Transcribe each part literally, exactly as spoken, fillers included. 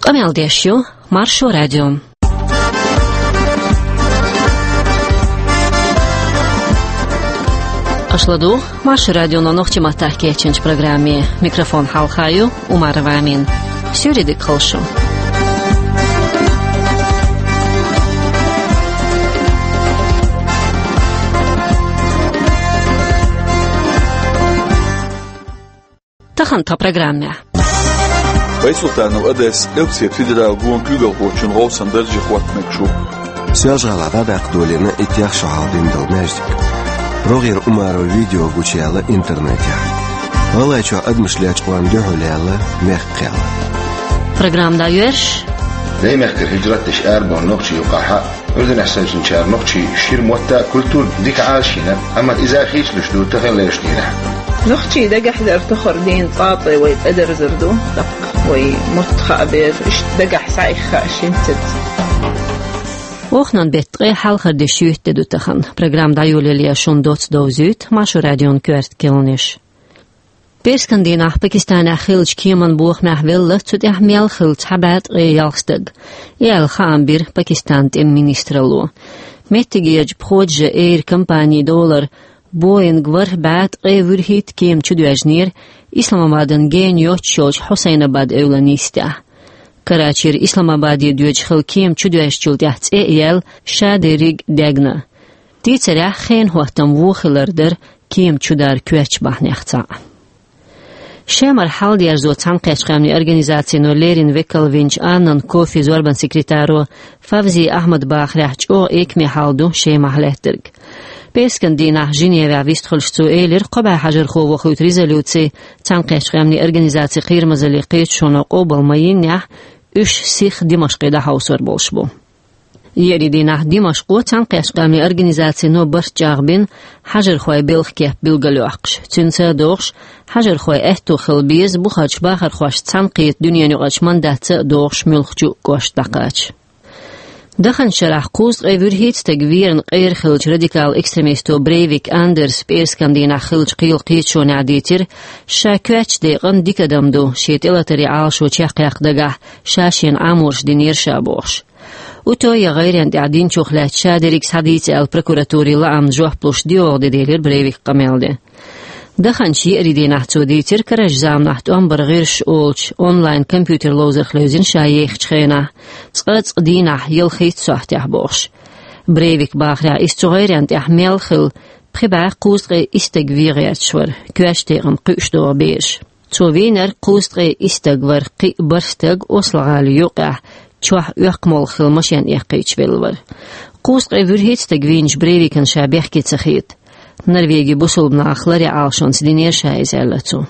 Къамел деш ю Маршо радио. Аша ладугӀу Маршо радионо нохчийн маттахь кечйинчу программе. Микрофон хьалха ю Умарова Амина. Суьйре дика хуьлда шун. Тахана тхан программехь. Байсултанов Одес Элпсет федералан гонан куьйгалхочун гӀовсан дарже хӀоттам мегаш ву. Соьлжа-ГӀалахь дӀадаккха долийна итт шо хьалха дина долу маьждиг. РогӀера Умарова видео гучуяьлла интернетехь. ГӀалгӀайчохь адамаш лечкъорна дуьхьал яьлла мехкан кхел. Программа дӀайоьрзуш. Даймехкара хӀижрат деш арабевлла нохчийн юкъахь Ӏуьрданехь севцинчара нохчийн шира мотт а, культура а дика Ӏалашйина, амма иза хийцалуш ду таханлерчу дийнахь. Нохчийн дагахь дар тохара дийнан цӀа а цӀе вай цӀа дерзар ду, тӀаккха вай мотт хаа беза, иштта дагахь схьаихна хаа шинцаца. Оханан беттан ткъе хьалхара де шуьйта де ду тахана. Программа дӀайолале шун доцца довзуьйту Маршо радион коьрта кхаьънаш. Пасхалан дийнахь Пакистанехь хиллачу кеман бохамехь велла цу тӀехь мел хилла цхьа бӀе ткъе ялх стаг. И аьлла хаам бира Пакистанан тӀеман министралло. Меттигерчу пхоьаллин эйр компанин долара Боинг ворхӀ бӀе ткъе вуьрхӀитта кема чудоьжнера Исламабадан гена йоццуш йолчу Хьусайнабад эвлан йистехь. Карачера Исламабаде доьдуш хилла кема чудоьжначул тӀаьхьа цӀе а яьлла, шадерриг а даьгна. Дийцарехь, хенан хӀоттам вон хилар дара кема чудара коьртачу бахьанех цхьаъ. Шемара хьал дерзо Цхьаьнакхеттачу Къаьмнийн Организацино леррина векал винчу Аннан Кофин зорбанан секретаро Фавзи Ахьмада бахарехь, чӀогӀа экаме хьал ду Шемахь лаьттарг. Пасхалан дийнахь Женевехь вистхуьлуш цо элира, кхо бӀе хьажархо вохуьйту резолюци Цхьаьнакхеттачу Къаьмнийн Организацин кхерамазаллин кхеташоно къобал ма йиннехь, уьш сиха Димашкъе дӀахьовсор болуш бу. Еарин дийнахь Димашкъо Цхьаьнакхеттачу Къаьмнийн Организацино барт чӀагӀбина хьажархойн белхан кеп билгалйоккхуш. Цуьнца а догӀуш, хьажархойн аьтто хила беза бухарчу бахархошца цхьаьнакхета дуьненаюкъарчу мандатца а догӀуш муьлххачу а кӀошта дӀакхача. Даханчу шарахь кхузткъе вуьрхӀитта стаг верна къера хиллачу радикал экстремисто Брейвик Андерса пӀераскан дийнахь хиллачу кхелан кхеташонехь дийцира, ша коьртачу декъана дика адам ду, шен тӀелатаран Ӏалашо чекхъяккха дагахь ша шена Ӏаморш динера ша бохуш. Уто я гӀайренна тӀехь динчух лаьцна ша дерриг схьадийца аьлла прокуратурин лаамна жоп луш доьалгӀа де делира Брейвика къамел де. Даханчу еарин дийнахь цо дийцира карарчу заманахь тӀом бар гӀирсаш олучу онлайн компьютер ловзарх левзина ша ехачу хенахь, цкъа-цкъа дийнахь ялхитта сохьтехь бохуш. Брейвика бахарехь, иза цу гӀайренна тӀехь мел хилла пхи бӀе кхузткъе исс стаг вен гӀерташ вара, коьртачу декъана кхуьуш догӀу бераш. Цо вийнарг кхузткъе исс стаг вара, кхин а бархӀ стаг Осло-ГӀалин юккъехь чохь оьккху молха хилла машен эккхийтича велла вара. Кхузткъе вуьрхӀитта стаг вийначу Брейвикана ша бехке ца хета. Норвегин бусулба нахах ларъян Ӏалашонца динера ша иза, аьлла цо.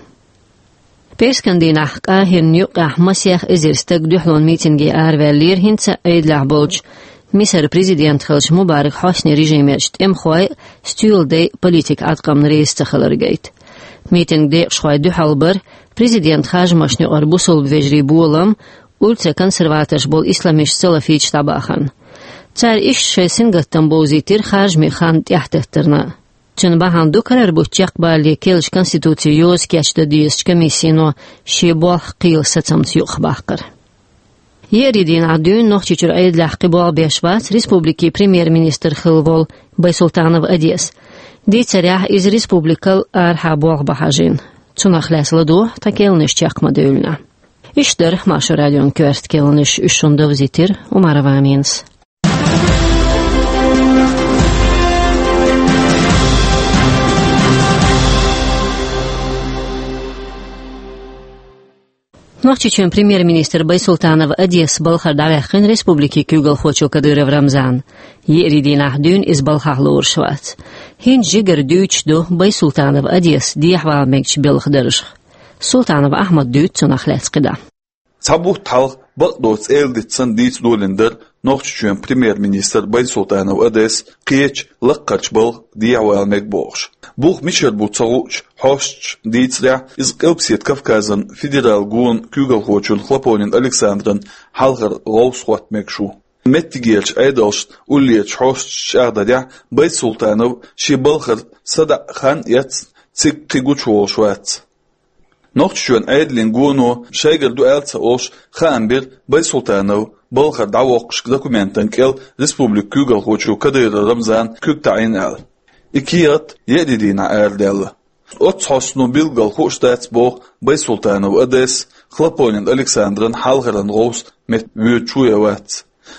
Пасхалан дийнахь Къахиран юккъехь масех эзар стаг дуьхьалонан митинге араваьллера хӀинца а Ӏедалехь болчу Мисаран президент хиллачу Мубарак Хьоснин режимерчу тӀемахойн а, стоьладайн а политикан Ӏаткъамна реза ца хилар гайта. Митинган декъашхой дуьхьал бара президентан харжамашна юкъара бусулба вежарийн болам, ультраконсерваторш болу исламисташ-салафиташ дӀабахарна. Цара иштта шайн сингаттам бовзийтира харжамийн хан тӀаьхьататтарна. Цуьнан бахьана ду карара бутт чекхбалале керлачу конституцин йоза кечдан дезачу комиссино шен болх кхелан сацамца юкъахбаккхар. Еарин дийнахь дуьйна Нохчийчуьра Ӏедалехь кхин болх беш вац республикин премьер-министр хилла волу Байсултанов Одес. Дийцарехь, иза республикал арахьа болх бан хьажийна. Цунах лаьцна ладогӀа тхан кхаьънаш чекх ма-девлла. Иштта дара Маршо радион коьрта кхаьънаш, уьш шуна довзийтира Умарова Аминас. Нохчийчоьнан премьер-министр Байсултанов Одес балхара дӀаваьккхина республикин куьйгалхочо Кадыров Рамзана. Еарин дийнахь дуьйна иза балхахь лоруш вац. ХӀинца жигара дуьйцуш ду Байсултанов Одес дехьавала мегачу белхан даржах. Султанов Ахьмада дуьйцу цунах лаьцна кхидӀа. Цхьа бутт хьалха бакъдоцу эладитанца дийца долийна дара Нохчийчоьнан премьер-министр Байсултанов Одес кхечу лаккхарчу балха дехьавала мега бохуш. Бух мичара бу ца хуучу хьосташа дийцарехь, иза Къилбаседа Кавказан федералан гонан куьйгалхочун Хлопонин Александран хьалхара гӀовса хӀотта мегаш ву. Меттигерчу Ӏедалшна уллерчу хьосташа чӀагӀдарехь, Байсултанов шен балхара садаӀа хан а эцна, цига кхин гучуволуш вац. Нохчийчоьнан Ӏедалан гоно шайгара ду аьлла ца олуш хаам бира Байсултанов балхара дӀавоккхуш документан кӀел республикан куьйгалхочо Кадыров Рамзана куьг таӀийна аьлла. И кехат еа де дийнахь арадаьлла. Оццу хьостано билггал хууш дац боху Байсултанов Одесса, Хлопонин Александран хьалхаран гӀовс метта воьдуш ву я вац.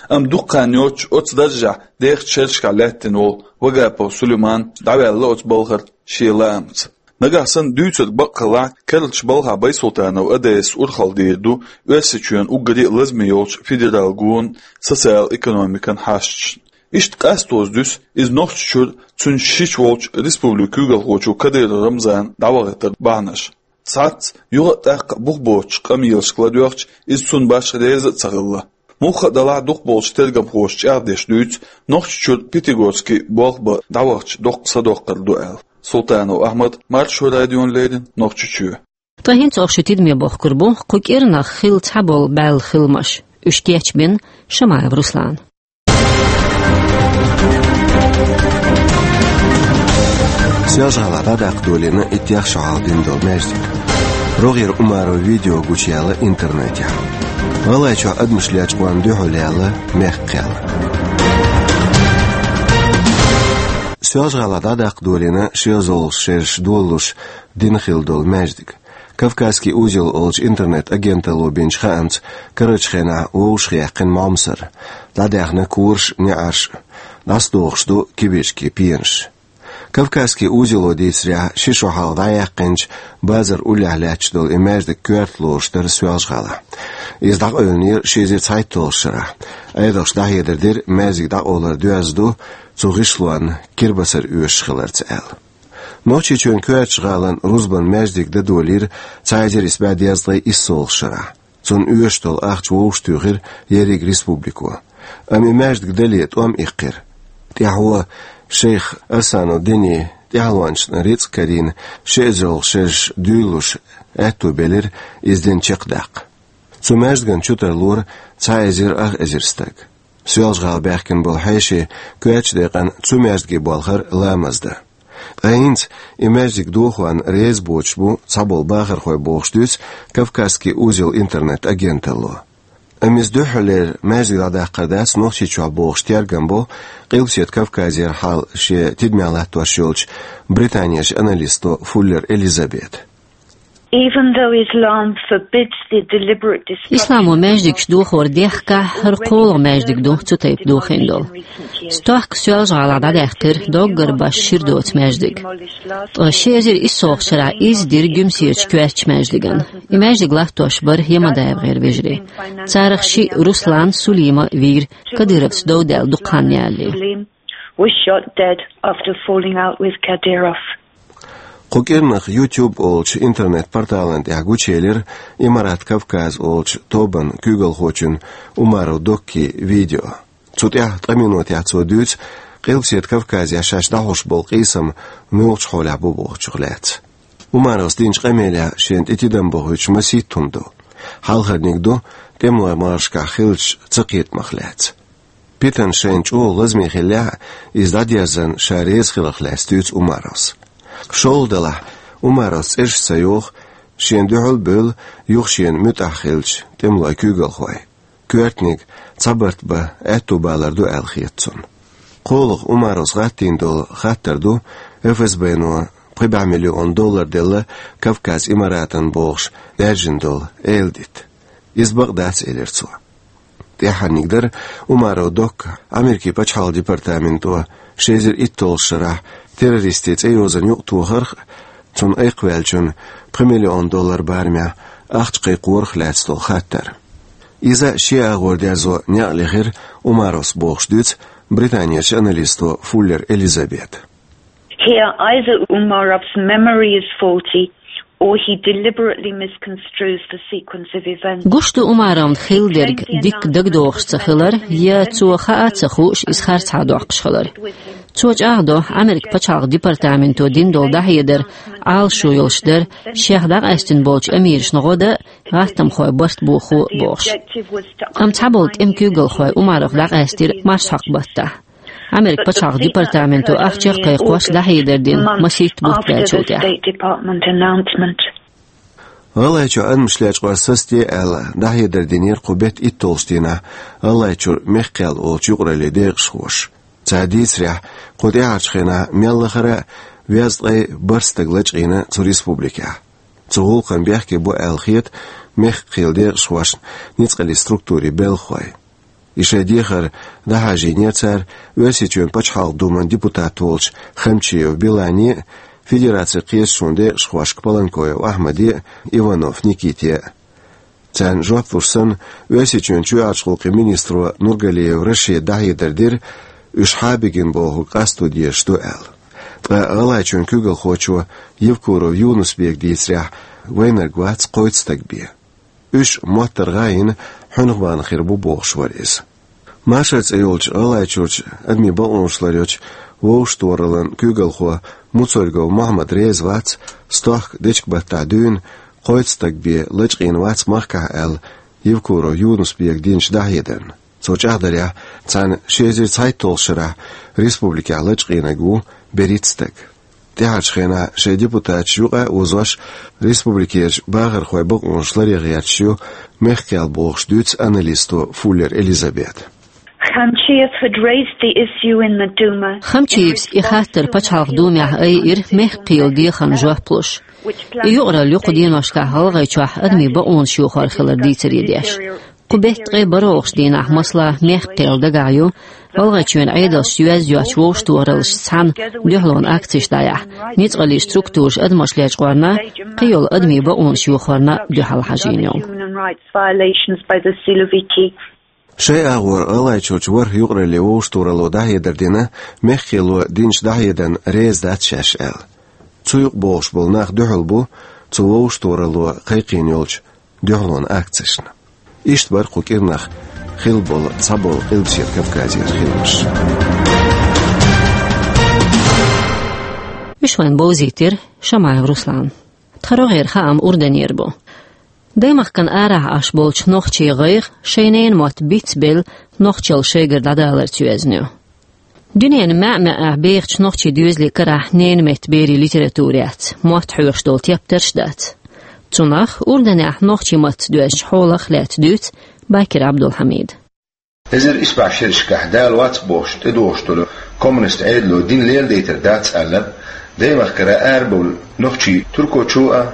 Амма дукха хан йоццуш оцу даржехь дехачу шерашкахь лаьттина волу Вагапов Сулейман дӀаваьлла оцу балхара шен лаамца. Нагахь санна дуьйцург бакъ хилахь, керлачу балхахь Байсултанов Одессас урхалла дийр ду Оьрсийчоьнан уггаре а лазаме йолчу федералан гонан социал-экономикан хьашташна. Иштта къастоза дуьсу иза Нохчийчуьра цуьнан шича волчу республикан куьйгалхочо Кадыров Рамзана дӀавахийтаран бахьанаш. Цхьацца юха а тӀаккха а бух боцучу къамелашка ладоьгӀча, иза цунна башха реза а ца хилла. Муха а далахь, дукхахболчу тергамхоша чӀагӀдеш дуьйцу, Нохчийчуьра Пятигорский болх бан дӀавахча доккха садоккхур ду аьлла. Султанов Ахьмад, Маршо радиона леррина, Нохчийчоь. Ткъа хӀинца оха шун тидаме бохкур бу кху кӀирнах хилла цхьаболу баьлла хиламаш. Уьш кечбина Шамаев Руслана. Соьлжа-ГӀалахь дӀадаккха долийна иттех шо хьалха дина долу маьждиг. РогӀера Умаров видео гучуяьлла интернетехь. ГӀалгӀайчохь адамаш лечкъорна дуьхьал яьлла мехкан кхел. Соьлжа-ГӀалахь дӀадаккха долийна шен зовлгӀачу шераш долалуш дина хилла долу маьждиг. «Кавказский узел» олучу интернет-агенталло бинчу хаамца, карарчу хенахь вовшахъяьккхина могӀмасарш, дӀадаьхна кораш а, неӀарш а, дӀасадохуш ду кибарчкийн пенаш. «Кавказский узело» дийцарехь, ши шо хьалха дӀаяьккхинчу базар уллехь лаьтташ долу и маьждиг коьрта лоруш дара Соьлжа-ГӀалахь. Иза дӀакъевлинера ши эзар цхьайтталгӀачу шарахь. Ӏедалша дӀахьедар дира, маьждиг дӀакъовлар доьзна ду цу гӀишлонна кирбацар оьшуш хиларца аьлла. Нохчийчоьнан коьртачу гӀалин рузбанан маьждиг дан долийра цхьа эзар исс бӀе дезткъе иссалгӀачу шарахь. Цунна оьшуш долу ахча вовшахтуьйхира ерриг республико. Амма и маьждиг дале тӀом иккхира. ТӀаьхьо шайх Арсанов Дени тӀаьхьалончашна рицкъ карийна, ши эзарлагӀа шераш дуьйлалуш аьтту белира иза дин чекхдаккха. Цу маьждиган чу тарлора цхьа эзар ах эзар стаг. Соьлжа-ГӀала баьхкина болу хьеший коьртачу декъана цу маьждиге болхара ламаз дан. Ткъа хӀинца и маьждиг дохорна реза боцуш бу цхьаболу бахархой, бохуш дуьйцу «Кавказский узел» интернет-агенталло. Амма иза дуьххьарлера маьждиг дӀадаккхар дац Нохчийчохь бохуш тергам бо Къилбаседа Кавказера хьал шен тидамехь латтош йолчу британерчу аналисто Фуллер Элизабета. Even though Islam forbids the deliberate destruction... Исламо маьждигаш дохор дехкахь, хӀара кхоалгӀа маьждиг ду цу тайпа дохийна долу. Стохка Соьлжа-ГӀалахь дӀадаьккхира доггар башха шира доцу маьждиг. Ткъа ши эзар иссалгӀачу шарахь изза дира Гуьмсерчу коьртачу маьждиган. И маьждиг латтош бара ЯмадаевгӀеран вежарий. Царах шиъ, Руслан, Сулима, вийра, кадыровцаш дов даьлла дукха хан ялале. Saleem was shot dead after falling out with Kadyrov. Кху кӀирнах YouTube олучу интернет-порталан тӀехь гучуелира «Имарат Кавказ» олучу тобан куьйгалхочун Умаров Доккин видео. Цу тӀехь ткъа минотехь цо дуьйцу Къилбаседа Кавказехь шаьш дӀахьош болу къийсам муьлхачу хьолехь бу бохучух лаьцна. Умаровс динчу къамелехь шена тӀе тидам бохуьйтуш масийтта хӀума ду. Хьалхарниг ду тӀемалойн могӀаршкахь хиллачу цакхетамах лаьцна. Питана шайна чӀогӀа лазаме хиллехь а, иза дӀадерзарна ша реза хиларх лаьцна дуьйцу Умаровс. ШолгӀа делахь, Умаровс цӀераш ца йоху, шена дуьхьал а бевлла, юха шена муьтӀахь хиллачу тӀемалойн куьйгалхойн. Коьртаниг цхьа барт бан аьтту балар ду аьлла хета цунна. КхоалгӀа Умаровс гӀаттийна долу хаттар ду, ФСБ-но пхи бӀе миллион доллар делла Кавказ Имаратан бохуш даьржина долу эладита. Иза бакъ дац, элира цо. ТӀаьххьарниг дара Умаров Докка Америкин пачхьалкхан департаменто ши эзар итталгӀачу шарахь террористийн цӀейозанна юкъатохарх а, цунна айкхваьллачунна пхи миллион доллар барамехь ахча кхайкхорах лаьцна долу хаттар. Иза шен агӀор дерзо некъ лехира Умаровс бохуш дуьйцу Британерчу аналисто Фуллер Элизабета. Here, either Umarov's memory is faulty, or he deliberately misconstrues the sequence of events. Гуш ду Умаровна хилла дерг дикка дагадогӀуш ца хилар, я цо хаа а ца хууш, иза харцахьа доккхуш хилар. Цо чӀагӀдо, Америкин пачхьалкхан департаменто дина долу дӀахьедар Ӏалашо йолуш дара, шех дӀакъаьстина болчу амирашна гӀо дан а, гӀаттамхойн барт бохо а бохуш. Амма цхьаболу тӀеман куьйгалхой Умаровх дӀакъаьстира марсхьокху баттахь. Америкин пачхьалкхан департаменто ахча а кхайкхош дӀахьедар дина масийтта бутт баьллачул тӀаьхьа. State Department announcement. ГӀалгӀайчохь адамаш лечкъор сацаде аьлла, дӀахьедар динера кху беттан итталгӀачу дийнахь ГӀалгӀайчуьра Мехк-Кхел олучу юкъараллин декъашхоша. Цара дийцарехь, кху тӀаьхьарчу хенахь мел лахара а везткъе бархӀ стаг лачкъийна цу республикехь. Цу гӀуллакхна бехке бу аьлла хета Мехк-Кхелан декъашхошна ницкъаллин структурийн белхахой. И шайн дехар дӀахьажийнера цара Оьрсийчоьнан Пачхьалкхан Думан депутат волчу Хамчиев Билане а, Федерацин кхеташонан декъашхошка Паланкоев Ахьмаде а, Иванов Никите а. Царна жоп луш санна, Оьрсийчоьнан чоьхьарчу гӀуллакхийн министро Нургалиев Рашида дӀахьедар дира, уьш хьабигина бохург къасто дезаш ду аьлла. Ткъа ГӀалгӀайчоьнан куьйгалхочо Евкуров Юнус-Бека дийцарехь, вайнарг вац кхойтта стаг бен. Уьш моттаргӀа а йина, хьуьнах бахана хир бу бохуш вара иза. Машар цӀе йолчу ГӀалгӀайчуьрчу адамийн бакъонаш ларъечу вовшахтохараллин куьйгалхо Муцольгов Мохьмад реза вац, стохка дечкен-баттахь дуьйна кхойтта стаг бен лачкъийна вац махкахь аьлла, Евкуров Юнус-Бека динчу дӀахьедарна. Цо чӀагӀдарехь, цхьана ши эзар цхьайтталгӀачу шарахь республикехь лачкъийнарг ву берхӀитта стаг. ТӀаьхьарчу хенахь шайн депутаташ юкъа а озош, республикерчу бахархойн бакъонаш ларъян гӀерташ ю Мехк-Кхел бохуш дуьйцу аналисто Фуллер Элизабета. Khamchiev had raised the issue in the Duma. Хамчиевс и хаттар Пачхьалкхан Думехь айира Мехк-Кхелан дехарна жоп луш. И юкъаралла ю кху деношкахь ГӀалгӀайчохь адамийн бакъонаш йохор хилар дийцаре деш. Кху беттан ткъе бархӀалгӀачу дийнахь, масала, Мехк-Кхел дагахь ю ГӀалгӀайчоьнан Ӏедалшца йоьзна йоцчу вовшахтохараллашца цхьаьна дуьхьалонан акцеш дӀаяхьа, ницкъаллин структураша адамаш лечкъорна, кхийолу адамийн бакъонаш йохорна дуьхьал хьажийна йолу. Human rights violations by the Siloviki. Шайн агӀор ГӀалгӀайчуьрчу ворхӀ юкъараллин вовшахтохаралло дӀахьедар дина, Мехк-Кхело динчу дӀахьедарна реза дац шаьш аьлла. Цу юкъа богӀуш болу нах дуьхьал бу цу вовшахтохаралло кхайкхийна йолчу дуьхьалонан акцешна. Иштта бара кху кӀирнах хилла болу цхьаболу Къилбаседа Кавказера хиламаш. Уьш вайн бовзийтира Шамаев Руслана. Тхан рогӀера хаам Урданера бу. Даймахкана арахь Ӏаш болчу нохчийн гӀайгӀа шайн ненан мотт бицбелла нохчалла шайгара дӀадаларца йоьзна ю. Дуьненан маьӀ-маьӀӀехь бехачу нохчийн доьзалийн карахь ненан меттан берийн литература яц, мотт хьоьхуш долу тептарш а дац. Цунах Урданехь нохчийн маттаца доьзначу хьолах а лаьцна дуьйцу Бакир Абдулхьамида. Эзар исбаьхьа шерашкахь Дала вац бохуш тӀедогӀуш долу коммунист Ӏедало дин леладайтар дац аьлла, даймахкара арабевлла нохчий Туркойчу а,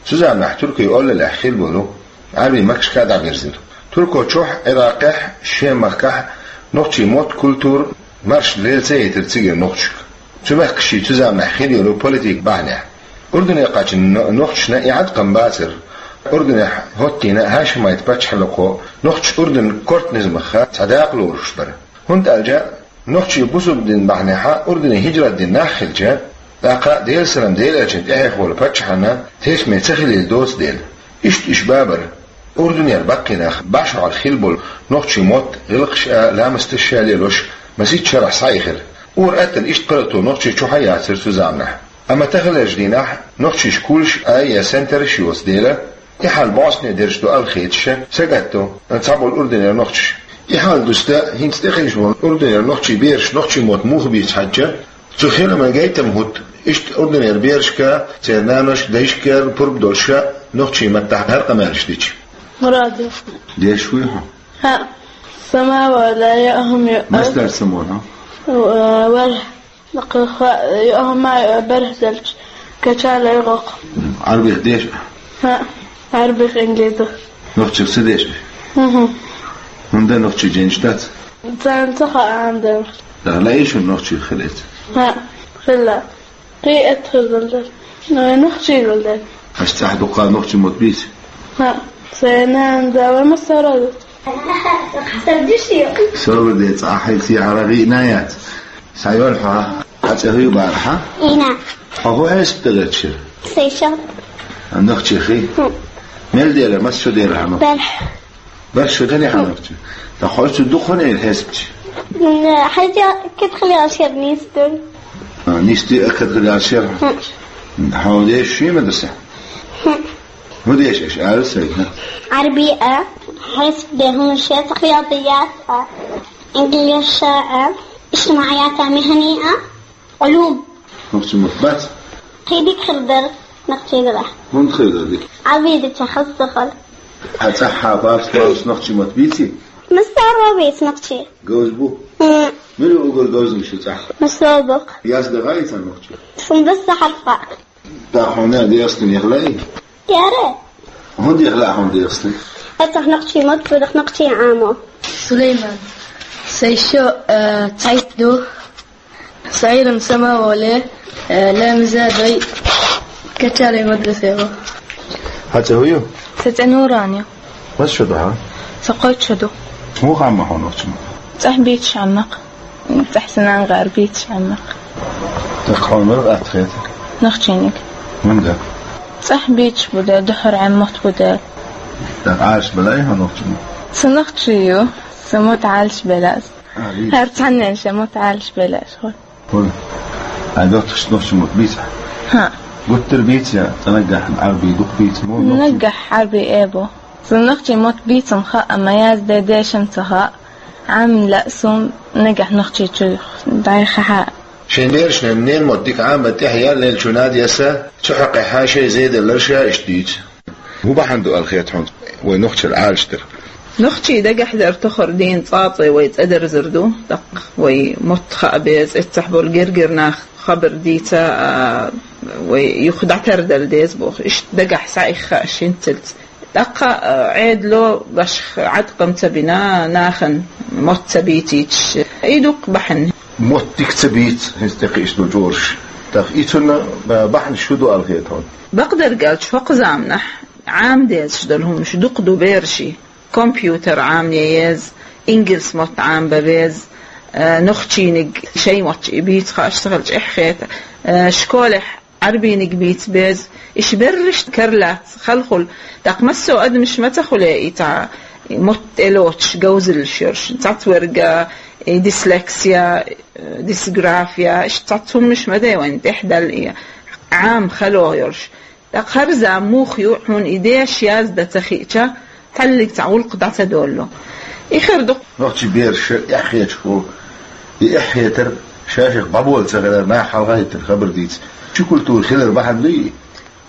цу заманахь туркойн олаллехь хилла болу Ӏаьрбийн мехкашка а дӀабирзира. Туркойчохь, Ӏиракъехь, Шемахкахь нохчийн мотт, культура, марша лела ца яйтира цигара нохчашка. Цу мехкашчий цу заманахь хилла йолу политикан бахьанехь. Урдане кхаьчна но-, нохчашна и хьаткъам бацара. Урданехь хӀоттийна Хьашимайт пачхьалкхо нохчаш Урдан кортан низамах цхьа дакъа лоруш бара. ХӀунда аьлча нохчий бусулба дин бахьанехь Урдане хӀижрат дина нах хилча, тӀаккха Делан салам Делан элчанна тӀехь волу паччахьна тешаме ца хилийла доцу дела. Иштта уьш бабара. Урданера баккхий нах башхьалла хилла болу нохчийн мотт, гӀиллакхаш а, ламасташ а лелош, масех шарахь схьаихира. Ур-аттана иштта паргӀато нохчий чохь а яцара цу заманахь. Амма таханлерчу дийнахь нохчийн школаш а я центраш йоцу дела, и хьал бӀостанехьа дерш ду аьлла хеташ, сагатдо цхьаболу Урданера нохчаша. И хьал дуста хӀинца тӀекхийча болу Урданера нохчийн бераш нохчийн мотт муха бийца хьаьжча, цу хиламан гайтам хӀутту, иштта Урданера берашка, церан наношка, дайшка пурба долуш нохчийн маттахь хӀара къамелаш дича. Мурадов. Дешаш вуй хьо? ХӀаъ. Самавала я ахум ю. Мастер самавала. Э, вар. Накха ха-, ю ахум ма, э, бархзалч. Качала югъук. М, Ӏарбих деш? ХӀаъ. Ӏарбих, инглизих. Нохчих ца деш? Мгм. ХӀунда нохчий женаш дац? Царна ца хаьа ам дан. Да, лаьий шуна нохчий хилица? ХӀаъ, хилла. Кхин а эт хир дан дар. Ну, нохчий гал дар. Аш цӀахь дукха нохчий мотт бийца? ХӀаъ, сайн нана да ва ма сара ду. Сарвар де цӀахь хьайса яхьара гӀиъна яц. Схьайолу хьо, хьан цӀе хӀуй бара хьан? Ина. Хьо хӀун хьесап дагара чира? Сейшел. Нохчий хи? Хм. Мел дера, мас чу дера хьан? Барх. Барх шу дани хьан нохчий? Та хьо цу дукха хӀун эр хьесапчи? М, хьайца кхетхили ашер нисдун. А, нисди а кхетхили ашер? Хм. Хьо деш шуй ма даса? Хм. ХӀун деш аша ара сайна? Ӏарби а, хьесап де хӀун шер, хиятият а, инглиш а, иштимаӀият а, михани а, Ӏулум. Нохчий мотт бац? Кхин дика хир дара. Нохчий дагахь. ХӀунда хилла дика? Ӏа вийдача хаза ца хала. Хьан цӀахь хьан баш-баш нохчий мотт бийци? Массаро бийц нохчий. Говза бу? М. Мила угар говза шу цӀахь? Массо бу. Язда гӀайца нохчий? Сун бесса хьарфа. Да хьона дерстин яхлай? Яра. ХӀунда яхла хьона дерстин? Ацах нохчий мотт, будах нохчий Ӏамо. Сулейман. Сайшо, э, цайт ду. Сайрам самаволе, э, лемза дой качале мадрасево. Хьа цӀе хӀу ю? Са цӀе Нуран ю. Мас шо ду хьа? Са кхойтта шо ду. Муха Ӏамма хьо нохчий мотт? ЦӀахь бийцаш Ӏамма-кх. ЦӀахь санан гӀар бийцаш Ӏамма-кх. ТӀаккха хьона мара атта хета? Нохчийниг. ХӀунда? ЦӀахь бийцаш бу де, духхьара Ӏамма мотт бу де. ТӀаккха Ӏалаш белай хьо нохчий мотт? Са нохчий ю, са мотт Ӏалаш белаз. А, бийц. ХӀара цхьаннен ша мотт Ӏалаш белаш хьо. ХӀун? Ай, доттагӀаш нохчий мотт бийца? ХӀаъ. Гуттар бийца я, цӀа наггахь Ӏарбий дукха бийца мо нохчий? Наггахь Ӏарбий э бу. Са нохчий мотт бийцам хаьа, амма язде дешам ца хаьа. Ӏамма лаьа сун наггахь нохчий чу дӀайха хьа. Шен берашна ненан мотт дика Ӏамма тӀехь ял лелчу надеса, цу хьакъехьа шай зеделлар ша иштта дийца. ХӀун бахьана ду аьлла хета хьуна вай нохчар Ӏалаш дар? Нохчий дагахь дар тохар дийна цӀацӀе вай цӀа дерзар ду, тӀаккха вай мотт хаа беза, эццахь болу гергара нах хабар дийца, а, вай юха дӀатардала деза боху. Иштта дагахь схьаихха аш хӀинццалц. ТӀаккха, а, Ӏедало башха Ӏаткъам ца бина, нахана мотт ца бийцийчаш. И дукха бахьана. Мотт дика ца бийца, хӀинца тӀекхиъча ду чӀораш. ТӀаккха и цунна, а, бахьанаш хӀун ду аьлла хета хьуна? Бакъдерг аьлча, хӀокху заманахь Ӏама дезаш долу хӀуманаш дукха ду бераши. Компьютер Ӏамае еза, ингалс мотт Ӏамабан беза, э, нохчийниг шайн мотт и бийца хаа аш ца хилча эхь хета, э, школехь Ӏарбийниг бийца беза, иш берриш карлац, халхул, тӀаккха массо а адамаш ма ца хуьле и цхьа мотт тӀелоцуш говзаллаш йолуш, цхьацверг, и дислексия, э, дисграфия, иш цхьацца хӀуманаш ма дай вайн тӀехь далла и Ӏама хало йолуш. ТӀаккха хӀара зама муха ю, хьуна и деша яздан ца хиъча, тхьаллиг цхьа гӀуллакх дӀа ца доллу. И хир ду. Нохчий бераш эхь хеташ ху, и эхь хетар, шайших бӀабола ца хилар, нах хьалха хӀиттина хабар дийца. Чу культура хилар бахьана дуй?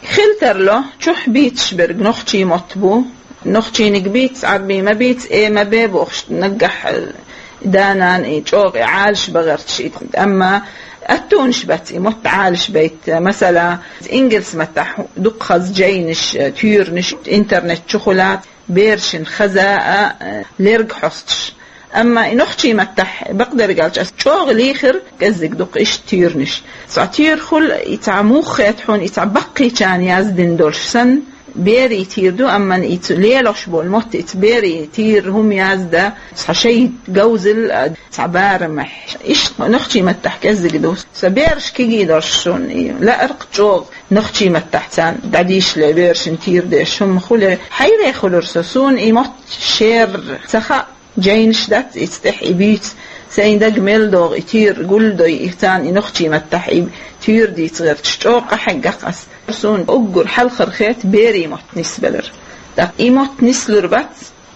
Хила тарло, чухь бийцаш берг нохчий мотт бу. Нохчийниг бийца, Ӏарбий ма бийца, э ма бе бохуш, наггахь, э, да-нана и чӀогӀа и Ӏалаш бан гӀерташ и. Амма аттонаш бац и мотт Ӏалаш байта. Масала, ингалс маттахь дукха хаза жайнаш, туьйранаш интернет чу хуьлац, берашна хаза а, лерг хьосташ. Амма и нохчий маттахь бакъдерг аьлча ас чӀогӀа лийхира, кӀеззиг дукха иштта туьйранаш. Цхьа туьйра хуьлу, и цхьа муха хета хьуна, и цхьа баккхийчарна яздина долуш санна, берийн туьйра ду, амма и цу лелош болу мотт, и цу берийн туьйра хӀума яздан, цхьа шайн говзалла, цхьа барамехь. Иштта нохчий маттахь кӀеззиг ду. Сан бераш кегий долуш суна и лаьара-кх чӀогӀа нохчий маттахь царна дӀадийшале, берашна туьйра деш хӀума хуьле. Хьайре хуьлура со, суна и мотт шера ца хаьа, жайнаш дац, иза тӀехь и буьйцу, сайн дага мел догӀу и туьйра гулдой, и царна и нохчий маттахь и туьйра дийца гӀерташ чӀогӀа къахьегна-кх ас. Суна уггар хьалхара хета берийн мотт нисбалар. ТӀаккха и мотт нислур бац,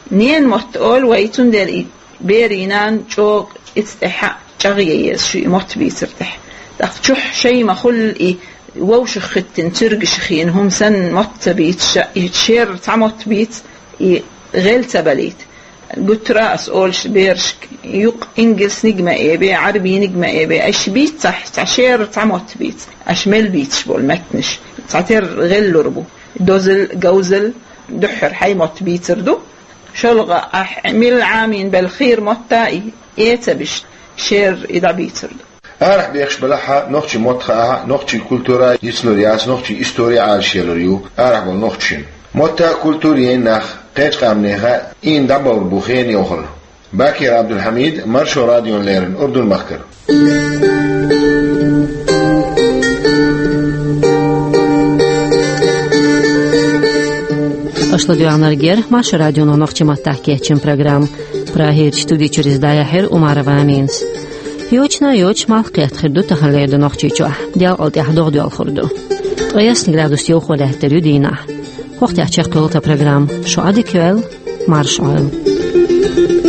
ненан мотт олу вай, цундела и берийн нана чӀогӀа иза тӀехь чӀагӀъе еза шу и мотт бийцар тӀехь. ТӀаккха чухь шайн ма хуьллу и вовшах хӀиттина, цуьргашах йина хӀума санна мотт ца бийца, и шера цхьа мотт бийца, и гӀел ца балийта. Гуттара а ас олуш берашка, юкъа ингалсниг ма эбе, Ӏарбийниг ма эбе, аша бийцахь, цхьа шера цхьа мотт бийца, аша мел бийцаш болу меттанаш. Цхьатерра гӀеллур бу. Дозал, говзал, дуьххьара хьайн мотт бийцар ду. ШолгӀа ахь мила Ӏамийна белла хийра мотт а и, э ца беш, шера и дӀабийцар ду. Арахь бехаш белахь а, нохчийн мотт хаахь а, нохчийн культура йицлур яц, нохчийн истори Ӏалашъялур ю арахь болу нохчашна. Мотт а, культура йина нах кхечу къаьмнех а ийна дӀабовр бу хенан йохалла. Бакир Абдулхьамид, Маршо радиона леррина, Урдун-махкара. Аша ладоьгӀнарг яра Маршо радионо нохчийн маттахь кечйина программа. Прагерчу студи чуьра иза дӀаяьхьира Умарова Аминас. Йочана йоцуш малх кхетта хир ду тахана леррина Нохчийчохь, делкъал тӀехь догӀа доьлхур ду. Ткъе ялх градус йовхо лаьттар ю дийнахь. ХӀокху тӀехь чекхйолу тхан программа. Шу Ӏадика йойла, марша Ӏойла.